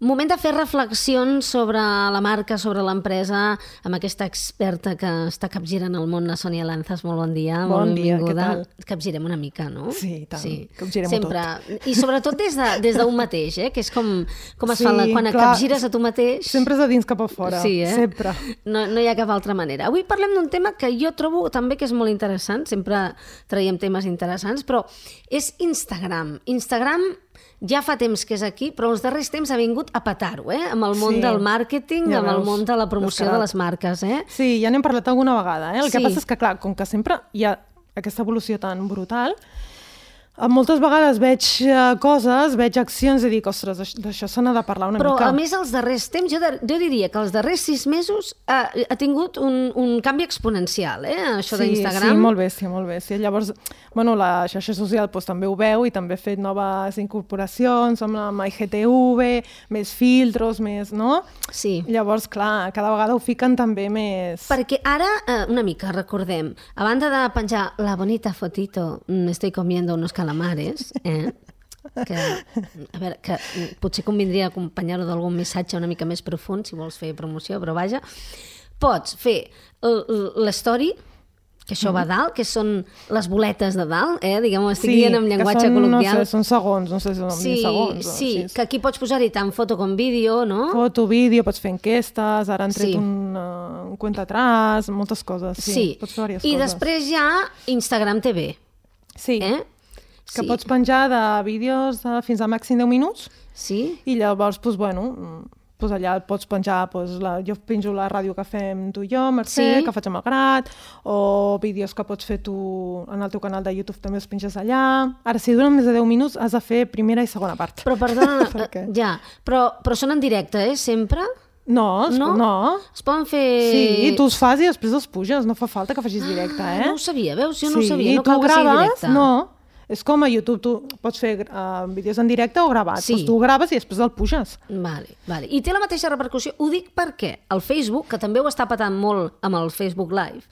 Moment de fer reflexions sobre la marca, sobre l'empresa, amb aquesta experta que està capgirant el món, la Sònia Lanzas. Molt bon dia, bon molt dia, benvinguda. què tal? Capgirem una mica, no? Sí, tant, capgirem-ho sempre. tot. I sobretot des d'un mateix, que és com es fa quan capgires a tu mateix. Sempre és de dins cap a fora, sempre. No hi ha cap altra manera. Avui parlem d'un tema que jo trobo també que és molt interessant, sempre traiem temes interessants, però és Instagram. Instagram ja fa temps que és aquí, però els darrers temps ha vingut a petar-ho, amb el món del màrqueting, amb el món de la promoció de les marques. Sí, ja n'hem parlat alguna vegada. El que passa és que, clar, com que sempre hi ha aquesta evolució tan brutal, moltes vegades veig coses, veig accions i dic, ostres, d'això se n'ha de parlar una mica. Però, a més, els darrers temps, jo diria que els darrers 6 mesos ha tingut un canvi exponencial, això d'Instagram. Sí, molt bé. Llavors, la xarxa social també ho veu i també ha fet noves incorporacions amb IGTV, més filtros, més, no? Sí. Llavors, clar, cada vegada ho fiquen també més... Perquè ara, una mica, recordem, a banda de penjar la bonita fotito, estoy comiendo unos calamares, que, a veure, que potser convindria acompanyar-ho d'algun missatge una mica més profund, si vols fer promoció, però vaja, pots fer l'story, que això va dalt, que són les boletes de dalt, diguem-ho, estic dient en llenguatge col·loquial. No sé, són segons, no sé si són segons. Sí, que aquí pots posar-hi tant foto com vídeo, no? Foto, vídeo, pots fer enquestes, ara han tret un cuenta atrás, moltes coses. Sí, pots fer diverses coses. I després hi ha Instagram TV. Sí, que pots penjar de vídeos fins a màxim 10 minuts. Sí. I llavors, doncs allà pots penjar, jo penjo la ràdio que fem tu i jo, Mercè, que faig amb el Grat, o vídeos que pots fer tu en el teu canal de YouTube, també els penges allà. Ara, si duren més de 10 minuts, has de fer primera i segona part. Però, perdona, però són en directe, sempre? No. Es poden fer... Sí, tu els fas i després els puges, no fa falta que facis directe, No ho sabia, veus? Jo no ho sabia, no cal que sigui directe. No, és com a YouTube, tu pots fer vídeos en directe o gravats. Doncs tu graves i després el puges. Vale. I té la mateixa repercussió. Ho dic perquè el Facebook, que també ho està patant molt amb el Facebook Live,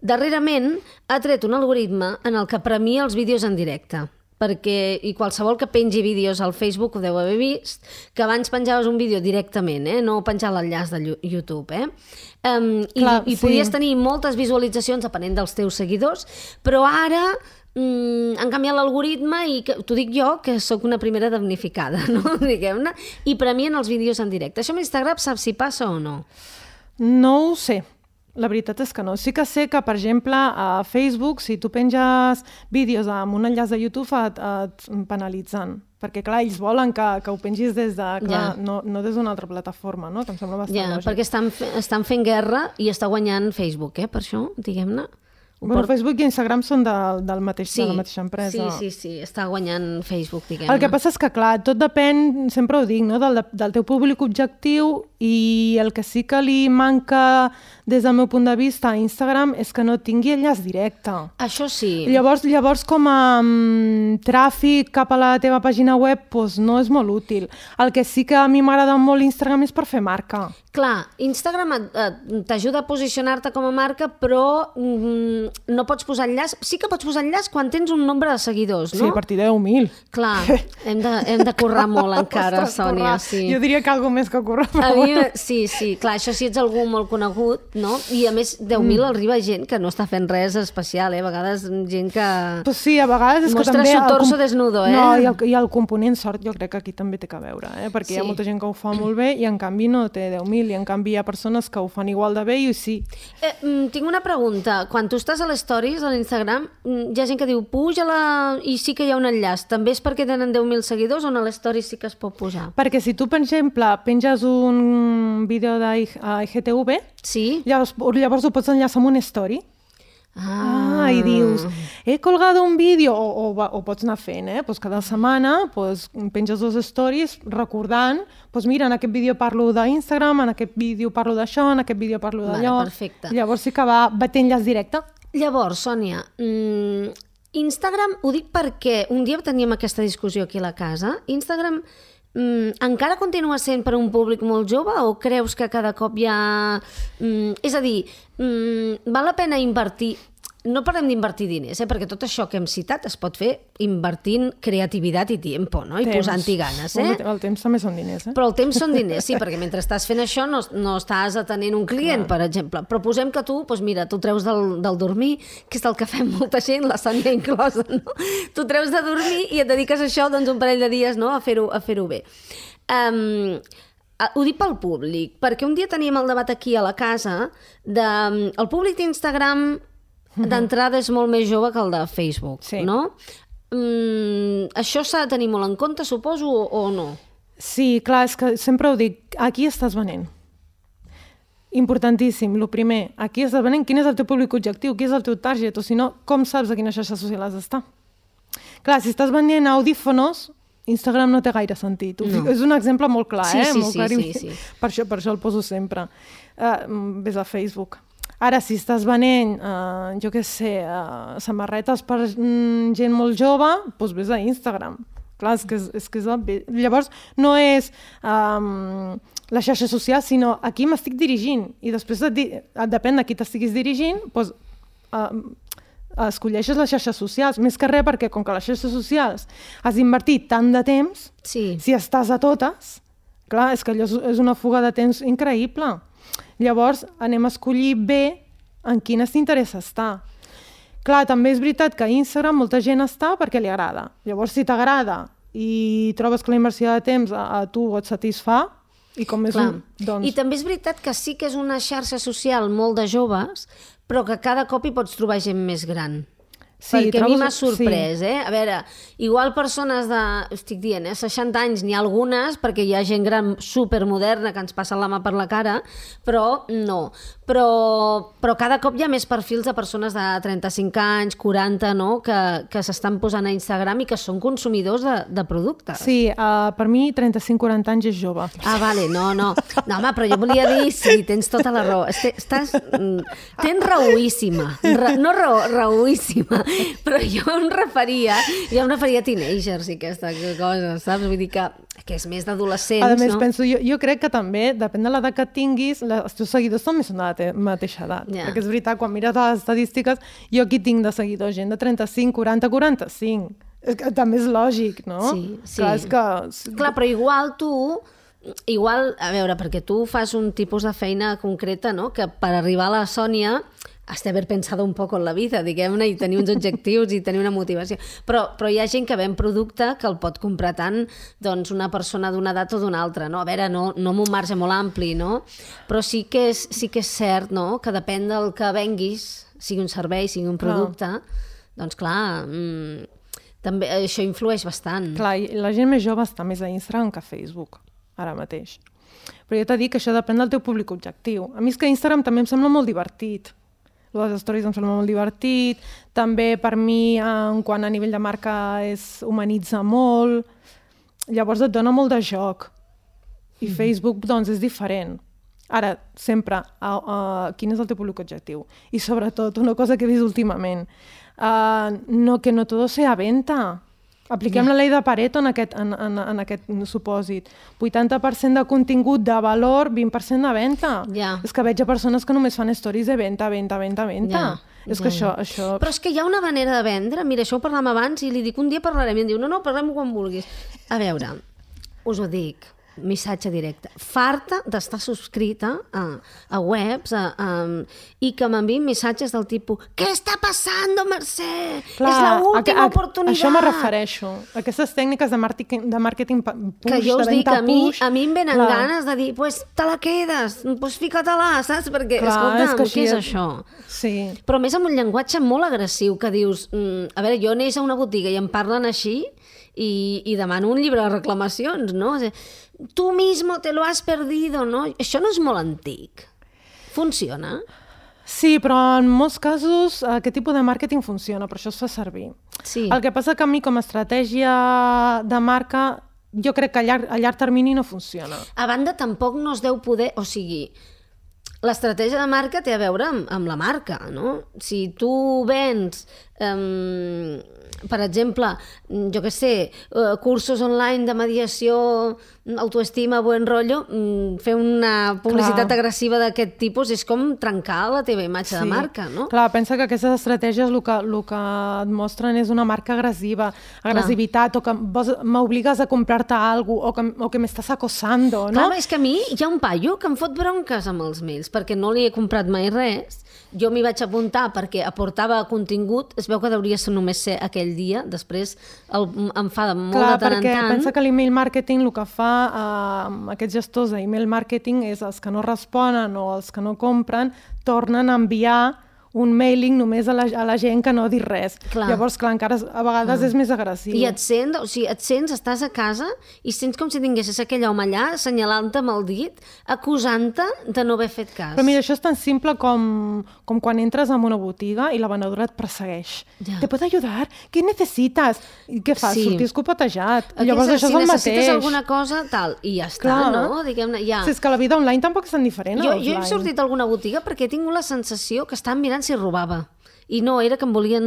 darrerament ha tret un algoritme en el que premia els vídeos en directe. Perquè, i qualsevol que pengi vídeos al Facebook ho deu haver vist, que abans penjaves un vídeo directament, no penjar l'enllaç de YouTube, i podies tenir moltes visualitzacions depenent dels teus seguidors, però ara han canviat l'algoritme i t'ho dic jo, que sóc una primera damnificada, no? Diguem-ne, i premien els vídeos en directe. Això amb Instagram saps si passa o no? No ho sé. La veritat és que no. Sí que sé que, per exemple, a Facebook, si tu penges vídeos amb un enllaç de YouTube, et penalitzen. Perquè, clar, ells volen que ho pengis des de... no des d'una altra plataforma, no? Que em sembla bastant lògic. Perquè estan fent guerra i està guanyant Facebook, per això, diguem-ne. Facebook i Instagram són de la mateixa empresa. Sí, està guanyant Facebook, diguem-ne. El que passa és que, clar, tot depèn, sempre ho dic, no? del teu públic objectiu, i el que sí que li manca des del meu punt de vista a Instagram és que no tingui enllaç directe. Això sí. Llavors com a tràfic cap a la teva pàgina web, no és molt útil. El que sí que a mi m'agrada molt Instagram és per fer marca. Clar, Instagram t'ajuda a posicionar-te com a marca, però no pots posar enllaç. Sí que pots posar enllaç quan tens un nombre de seguidors, no? Sí, a partir de 10.000. Clar, hem de currar molt encara, Sònia. Sí. Jo diria que alguna més que currar molt. Sí, clar, això sí ets algú molt conegut, no? I a més, 10.000 arriba gent que no està fent res especial, A vegades gent que... Pues sí, a vegades és mostra que també... su torso desnudo, No, i el component sort jo crec que aquí també té que veure, perquè hi ha molta gent que ho fa molt bé i en canvi no té 10.000, i en canvi hi ha persones que ho fan igual de bé i sí. Tinc una pregunta. Quan tu estàs a les stories, a l'Instagram, hi ha gent que diu puja-la i sí que hi ha un enllaç. També és perquè tenen 10.000 seguidors o a les stories sí que es pot posar? Perquè si tu, per exemple, penges un vídeo d'IGTV, llavors ho pots enllaçar amb una story. I dius, he colgado un vídeo, o pots anar fent, cada setmana penges 2 stories recordant, mira, en aquest vídeo parlo d'Instagram, en aquest vídeo parlo d'això, en aquest vídeo parlo d'allò. Perfecte. Llavors sí que va té enllaç directe. Llavors, Sònia, Instagram, ho dic perquè un dia teníem aquesta discussió aquí a la casa, Instagram encara continua sent per a un públic molt jove o creus que cada cop hi ha... És a dir, val la pena invertir... no parem d'invertir diners, perquè tot això que hem citat es pot fer invertint creativitat i tiempo, no? I posant-hi ganes. El temps també són diners. Però el temps són diners, sí, perquè mentre estàs fent això no estàs atenent un client, per exemple. Però posem que tu, doncs mira, tu treus del dormir, que és el que fem molta gent, la Sònia inclosa, no? Tu treus de dormir i et dediques a això un parell de dies, no? a fer-ho bé. Ho dic pel públic, perquè un dia teníem el debat aquí a la casa el públic d'Instagram d'entrada és molt més jove que el de Facebook, no? Això s'ha de tenir molt en compte, suposo, o no? Sí, clar, és que sempre ho dic, aquí estàs venent. Importantíssim, el primer, aquí estàs venent, quin és el teu públic objectiu, qui és el teu target, o si no, com saps a quina xarxa social has d'estar? Clar, si estàs venent audífonos, Instagram no té gaire sentit. És un exemple molt clar, molt clar. Sí. Per això el poso sempre. Ves a Facebook. Ara, si estàs venent, jo què sé, samarretes per gent molt jove, doncs ves a Instagram. Clar, és que és obvi. Llavors, no és la xarxa social, sinó a qui m'estic dirigint. I després, depèn de qui t'estiguis dirigint, doncs escolleixes les xarxes socials. Més que res, perquè com que les xarxes socials has invertit tant de temps, si estàs a totes, clar, és que allò és una fuga de temps increïble. Llavors, anem a escollir bé en quines t'interessa estar. Clar, també és veritat que a Instagram molta gent està perquè li agrada. Llavors, si t'agrada i trobes que la inversió de temps a tu et satisfà, i com és I també és veritat que sí que és una xarxa social molt de joves, però que cada cop hi pots trobar gent més gran. Perquè a mi m'ha sorprès, A veure, igual persones de, estic dient, 60 anys, n'hi ha algunes, perquè hi ha gent gran supermoderna que ens passa la mà per la cara, però no. Però cada cop hi ha més perfils de persones de 35 anys, 40, no?, que s'estan posant a Instagram i que són consumidors de productes. Sí, per mi 35-40 anys és jove. Vale, no, home, però jo volia dir, sí, tens tota la raó. Tens raoíssima. No raoíssima. Però jo em referia a teenagers i aquesta cosa, saps? Vull dir que és més d'adolescents, no? A més, penso, jo crec que també, depèn de l'edat que tinguis, els teus seguidors també són de la mateixa edat. Perquè és veritat, quan mires les estadístiques, jo aquí tinc de seguidors, gent de 35, 40, 45. És que també és lògic, no? Sí. Clar, però igual tu... a veure, perquè tu fas un tipus de feina concreta, no?, que per arribar a la Sònia has d'haver pensado un poco en la vida, diguem-ne, i tenir uns objectius i tenir una motivació. Però hi ha gent que ven producte que el pot comprar tant una persona d'una edat o d'una altra, no? A veure, no amb un marge molt ampli, no? Però sí que és cert, no?, que depèn del que venguis, sigui un servei, sigui un producte, doncs clar, també això influeix bastant. Clar, la gent més jove està més a Instagram que a Facebook, ara mateix. Però jo t'he dit que això depèn del teu públic objectiu. A mi és que Instagram també em sembla molt divertit. Les stories em sembla molt divertit. També per mi, quan a nivell de marca humanitza molt. Llavors et dona molt de joc. I Facebook, doncs, és diferent. Ara, sempre, quin és el teu públic objectiu? I sobretot, una cosa que he vist últimament, que no todo sea venta. Apliquem la llei de Pareto en aquest supòsit. 80% de contingut de valor, 20% de venda. És que veig a persones que només fan stories de venda. És que això... Però és que hi ha una manera de vendre. Mira, això ho parlàvem abans i li dic, un dia parlarem. I em diu, no, parlem quan vulguis. A veure, us ho dic, missatge directe. Farta d'estar subscrita a webs i que m'enviïn missatges del tipus «Què està passant, Mercè? Clar, és l'última oportunitat!» Això me refereixo. Aquestes tècniques de màrqueting push, que jo us de dic, venda push... a mi em venen ganes de dir «Pues te la quedes, pues fica-te-la», saps? Perquè, escolta'm, què és això? Sí. Però més amb un llenguatge molt agressiu que dius a veure, jo anés a una botiga i em parlen així i demano un llibre de reclamacions, no? Tu mismo te lo has perdido, no? Això no és molt antic. Funciona? Sí, però en molts casos aquest tipus de màrqueting funciona, per això es fa servir. Sí. El que passa que a mi com a estratègia de marca jo crec que a llarg termini no funciona. A banda, tampoc no es deu poder... O sigui, l'estratègia de marca té a veure amb la marca, no? Si tu vens, per exemple, jo què sé, cursos online de mediació, autoestima, buen rotllo, fer una publicitat agressiva d'aquest tipus és com trencar la teva imatge de marca, no? Clar, pensa que aquestes estratègies el que et mostren és una marca agressiva, agressivitat, o que m'obligues a comprar-te alguna cosa, o que m'estàs acosando, no? Clar, és que a mi hi ha un paio que em fot bronques amb els mails, perquè no li he comprat mai res. Jo m'hi vaig apuntar perquè aportava contingut, es veu que hauria ser només ser aquell dia, després em fa molt de tant en tant. Clar, perquè pensa que l'email marketing el que fa aquests gestors d'email marketing és els que no responen o els que no compren tornen a enviar un mailing només a la gent que no ha dit res. Llavors, clar, encara a vegades és més agressiu. I et sents, estàs a casa i sents com si tinguessis aquell home allà assenyalant-te amb el dit, acusant-te de no haver fet cas. Però mira, això és tan simple com quan entres en una botiga i la venedora et persegueix. ¿Te puedo ayudar? ¿Qué necesitas? I què fas? Sortir escopetejat. Llavors això és el mateix. Si necessites alguna cosa, tal, i ja està, no? Diguem-ne, ja. És que la vida online tampoc és tan diferent. Jo he sortit a alguna botiga perquè he tingut la sensació que estan mirant si robava. I no, era que em volien...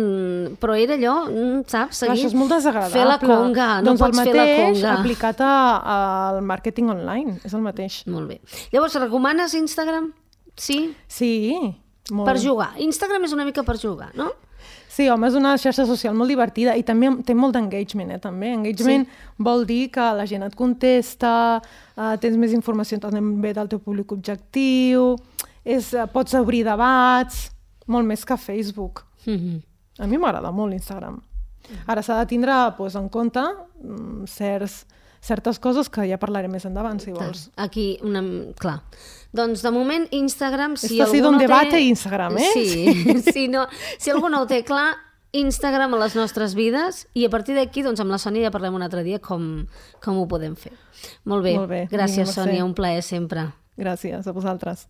Però era allò, saps? Seguir... Això és molt desagradable. Fer la conga, no pots fer la conga. Doncs el mateix aplicat al màrqueting online, és el mateix. Molt bé. Llavors, recomanes Instagram? Sí? Sí, molt. Per jugar. Instagram és una mica per jugar, no? Sí, home, és una xarxa social molt divertida i també té molt d'engagement, també. Engagement vol dir que la gent et contesta, tens més informació també del teu públic objectiu, pots obrir debats... molt més que Facebook. A mi m'agrada molt l'Instagram. Ara s'ha de tindre en compte certes coses que ja parlaré més endavant, si vols. Aquí, clar. Doncs, de moment, Instagram... Esto ha sido un debate Instagram, eh? Sí. Si algú no ho té clar, Instagram a les nostres vides, i a partir d'aquí, doncs, amb la Sònia ja parlem un altre dia com ho podem fer. Molt bé. Gràcies, Sònia, un plaer sempre. Gràcies a vosaltres.